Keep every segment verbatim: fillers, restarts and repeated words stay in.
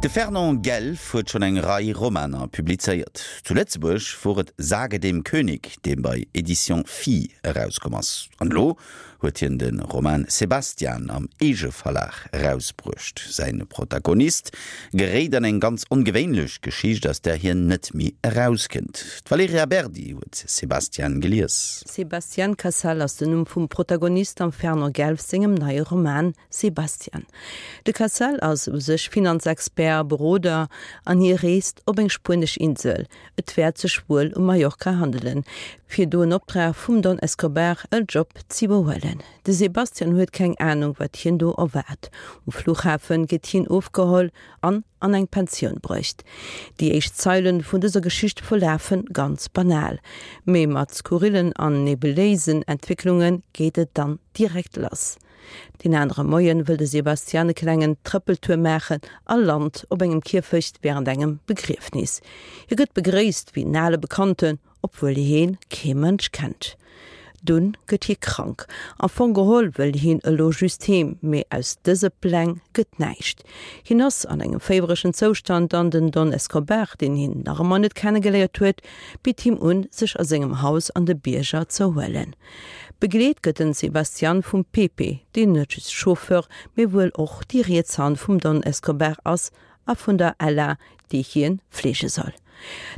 De Fernand Guelf huet schonn eng Rei Romaner publizéiert. Zu Lëtzebuerg wor et Sage dem König, dee bei Éditions Phi erauskomm ass. An elo huet hien de Roman Sebastian am Eegeverlag erausbruecht. Säi Protagonist geréit an eng ganz ongewéinlech Geschicht, aus där hien net méi erauskënnt. D'Valerija Berdi huet Sebastian gelies. Sebastian Casal ass den Numm vum Protagonist am Fernand Guelf sengem neie Roman Sebastian. De Casal ass u sech Finanzexpert, Beroder an hie reest op eng spuenesch Insel. Et wäert sech wuel ëm Mallorca handelen, fir do en Optrag vum Don Escobar en Job z'iwwerhuelen. De Sebastian huet keng Anung, wat hien do erwaart. Um Fluchhafen gëtt hien ofgeholl an an eng Pensioun bruecht. Déi éischt Zeilen vun dëser Geschicht verlafe ganz banal. Mee mat skurrillen an nebuléisen Entwécklunge geet et dann direkt lass. Den anere Moien wëll de Sebastian e klengen Trëppeltour maachen a lant op engem Kierfecht wärend engem Begriefnis. Hie gëtt begréisst wéi en ale Bekannten, obwuel hien kee Mënsch kennt. Dunn gëtt hie krank. Am Fong geholl wëll hien elo just heem, mee aus dëse Pläng gëtt näischt. Hien ass an engem féiweregen Zoustand an den Don Escobar, deen hien nach ëmmer net kennegeléiert huet, bitt him un, sech a sengem Haus an de Bierger z'erhuelen. Begleet gëtt den Sebastian vum Pepe, deen net just Chauffeur, mee wuel och déi riets Hand vum Don Escobar ass a vun der Ella, déi hien fleege soll.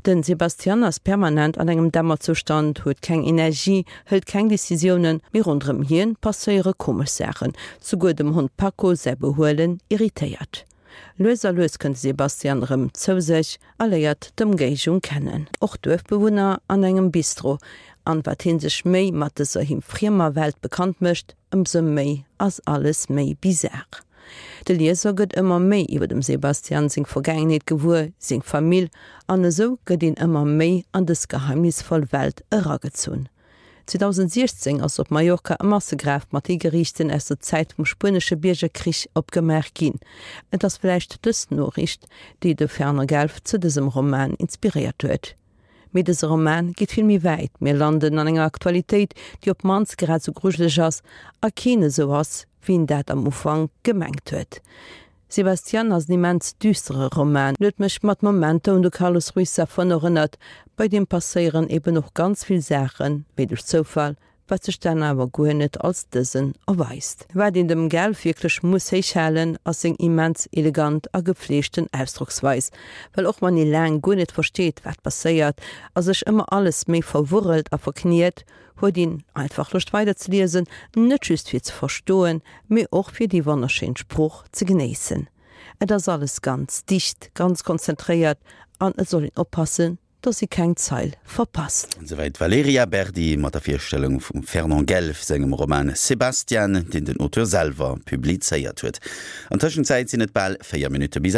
Den Sebastian ass permanent an engem Dämmerzoustand, huet keng Energie, hëlt keng Decisiounen, mee ronderëm hien passéiere komesch Saachen, souguer dem Hond Paco säi Behuelen irritéiert. Lues a lues kënnt de Sebastian erëm zou sech a léiert d'Ëmgéigend kennen, och Duerfbewunner an engem Bistro, an wat hien sech méi mat dëser him friemer Welt bekannt mécht, ëmsou méi ass alles méi bizar. De Lieser gëtt ëmmer méi iwwer dem Sebastian seng Vergaangenheet gewuer, seng Famill, an esou gëtt een ëmmer méi an dës geheimnisvoll Welt eragezunn. zweedausendsiechzéng ass op Mallorca e Massegraf mat Higeriichten aus der Zäit vum spuenesche Biergerkrich opgemaach ginn. Et ass vläicht dës Noriicht, déi de Fernand Guelf zu dësem Roman inspiréiert huet. Mee dëse Roman geet vill méi wäit, mir landen an enger Aktualitéit, déi op d'mannst grad sou grujeleg ass a keen esou ass, wéi een dat am Ufank gemengt huet. Sebastian ass en immens düstere Roman, en huet mech mat Momenter un de Carlos Ruiz Zafón erënnert, bei deem passéieren eben och ganz vill Saachen, méi duerch Zoufall, wat sech dann awer guer net als dësen erweist. Wat een dem Guelf wierklech muss héichhalen, ass seng immens elegant a gefleegten Ausdrocksweis, well och wann ee laang guer net versteet, wat passéiert a sech ëmmer alles méi verwurrelt a verkniet, huet een einfach Loscht weider ze liesen, net just fir ze verstoen, mee och fir déi wonnerschéin Sprooch ze genéissen. Et ass alles ganz dicht, ganz konzentréiert an et soll een oppassen, dass ee keng Zeil verpasst. Esouwäit d'Valerija Berdi mat der Virstellung vum Fernand Guelf sengem Roman Sebastian, deen den Auteur selwer publizéiert huet. An Tëschenzäit sinn et bal véier Minutte bis aacht.